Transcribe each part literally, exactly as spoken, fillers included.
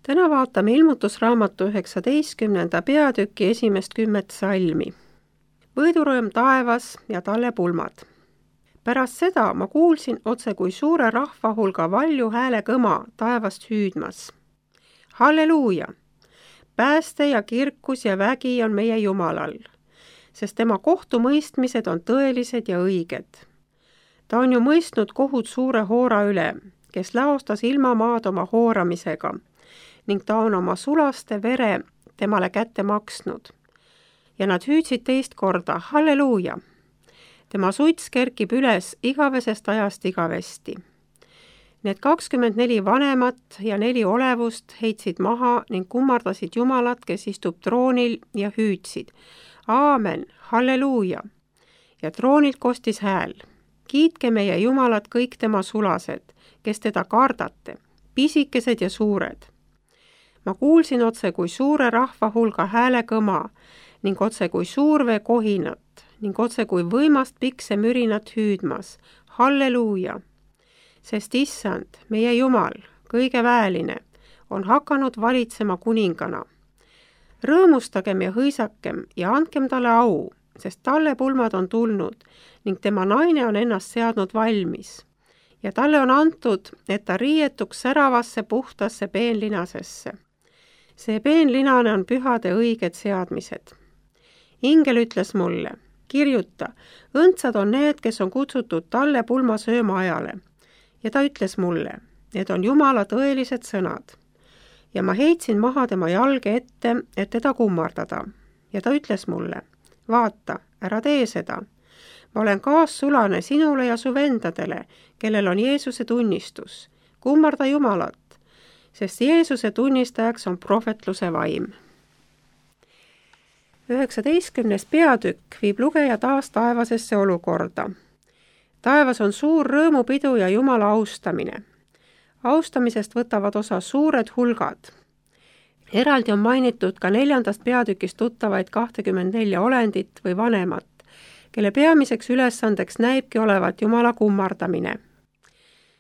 Täna vaatame ilmutusraamatu üheksateistkümnenda peatüki esimest kümmet salmi. Võidurõõm taevas ja talle pulmad. Pärast seda ma kuulsin otse kui suure rahva hulga valju hääle kõma taevast hüüdmas. Halleluuja! Pääste ja kirkus ja vägi on meie Jumalal, sest tema kohtumõistmised on tõelised ja õiged. Ta on ju mõistnud kohut suure hoora üle, kes laostas ilmamaad oma hooramisega, ning ta on oma sulaste vere temale kätte maksnud. Ja nad hüüdsid teist korda, halleluuja! Tema suits kerkib üles igavesest ajast igavesti. Need kakskümmend neli vanemat ja neli olevust heitsid maha ning kummardasid Jumalat, kes istub troonil ja hüüdsid. Aamen, halleluuja! Ja troonilt kostis hääl. Kiitke meie Jumalat kõik tema sulased, kes teda kardate, pisikesed ja suured. Ma kuulsin otse kui suure rahva hulga hääle kõma ning otse kui suurvee kohinat ning otse kui võimast pikse mürinat hüüdmas. Halleluuja! Sest issand, meie Jumal, kõige väeline, on hakanud valitsema kuningana. Rõõmustagem ja hõisakem ja andkem talle au, sest talle pulmad on tulnud ning tema naine on ennast seadnud valmis. Ja talle on antud, et ta riietuks säravasse puhtasse peenlinasesse. See peenlinane on pühade õiged seadmised. Ingel ütles mulle, kirjuta, õndsad on need, kes on kutsutud talle pulma sööma ajale. Ja ta ütles mulle, need on Jumala tõelised sõnad. Ja ma heitsin maha tema jalge ette, et teda kummardada. Ja ta ütles mulle, vaata, ära tee seda. Ma olen kaassulane sinule ja su vendadele, kellel on Jeesuse tunnistus. Kummarda Jumalat, sest Jeesuse tunnistajaks on prohvetluse vaim. üheksateistkümnes peatükk viib lugeja taas taevasesse olukorda. Taevas on suur rõõmupidu ja Jumala austamine. Austamisest võtavad osa suured hulgad. Eraldi on mainitud ka neljandast peatükist tuttavaid kahtekümmend nelja olendit või vanemat, kelle peamiseks ülesandeks näibki olevat Jumala kummardamine.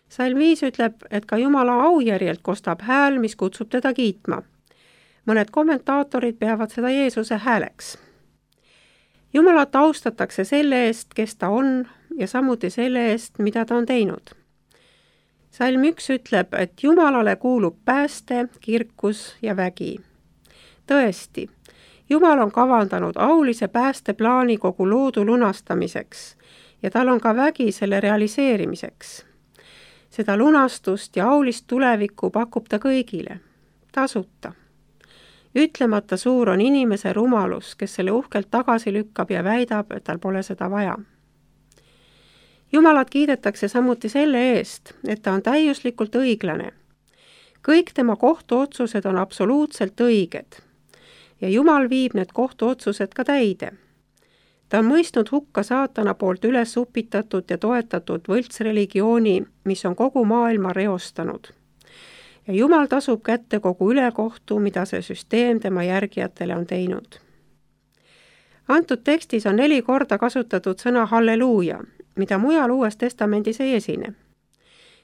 Salm viis ütleb, et ka Jumala aujärjelt kostab hääl, mis kutsub teda kiitma. Mõned kommentaatorid peavad seda Jeesuse hääleks. Jumalat austatakse selle eest, kes ta on, ja samuti selle eest, mida ta on teinud. Salm üks ütleb, et Jumalale kuulub pääste, kirkus ja vägi. Tõesti, Jumal on kavandanud aulise päästeplaani kogu loodu lunastamiseks ja tal on ka vägi selle realiseerimiseks. Seda lunastust ja aulist tulevikku pakub ta kõigile, tasuta. Ütlemata suur on inimese rumalus, kes selle uhkelt tagasi lükkab ja väidab, et tal pole seda vaja. Jumalat kiidetakse samuti selle eest, et ta on täiuslikult õiglane. Kõik tema kohtuotsused on absoluutselt õiged ja Jumal viib need kohtuotsused ka täide. Ta on mõistnud hukka saatana poolt üles upitatud ja toetatud võltsreligiooni, mis on kogu maailma reostanud. Ja Jumal tasub kätte kogu ülekohtu, mida see süsteem tema järgijatele on teinud. Antud tekstis on neli korda kasutatud sõna halleluuja, mida mujal Uues Testamendis ei esine.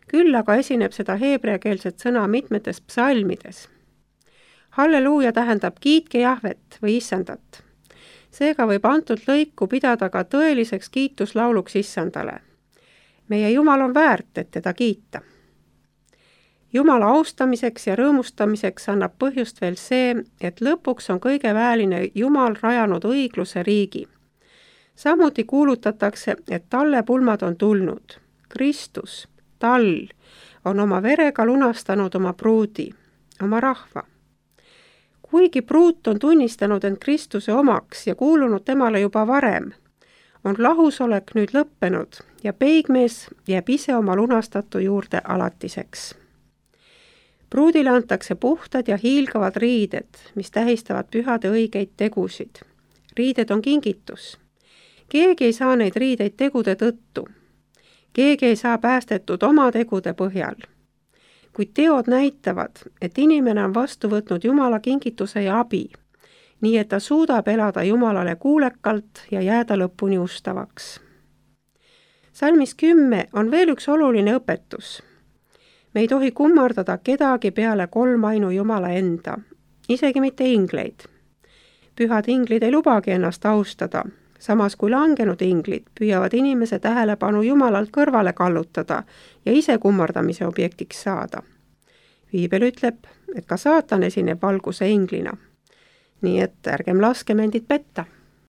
Küll aga esineb seda heebreakeelset sõna mitmetes psalmides. Halleluuja tähendab kiitke Jahvet või issandat. Seega võib antud lõiku pidada ka tõeliseks kiituslauluks issandale. Meie Jumal on väärt, et teda kiita. Jumala austamiseks ja rõõmustamiseks annab põhjust veel see, et lõpuks on kõige väeline Jumal rajanud õigluse riigi. Samuti kuulutatakse, et talle pulmad on tulnud. Kristus, tall, on oma verega lunastanud oma pruudi, oma rahva. Kuigi pruut on tunnistanud end Kristuse omaks ja kuulunud temale juba varem, on lahusolek nüüd lõppenud ja peigmees jääb ise oma lunastatu juurde alatiseks. Pruudile antakse puhtad ja hiilgavad riided, mis tähistavad pühade õigeid tegusid. Riided on kingitus. Keegi ei saa neid riideid tegude tõttu. Keegi ei saa päästetud oma tegude põhjal. Kuid teod näitavad, et inimene on vastu võtnud Jumala kingituse ja abi, nii et ta suudab elada Jumalale kuulekalt ja jääda lõpuni ustavaks. Salmis kümme on veel üks oluline õpetus. me ei tohi kummardada kedagi peale kolmainu Jumala enda, isegi mitte ingleid. Pühad inglid ei lubagi ennast austada, samas kui langenud inglid püüavad inimese tähelepanu Jumalalt kõrvale kallutada ja ise kummardamise objektiks saada. Piibel ütleb, et ka saatan esineb valguse inglina. Nii et ärgem laskem endid petta.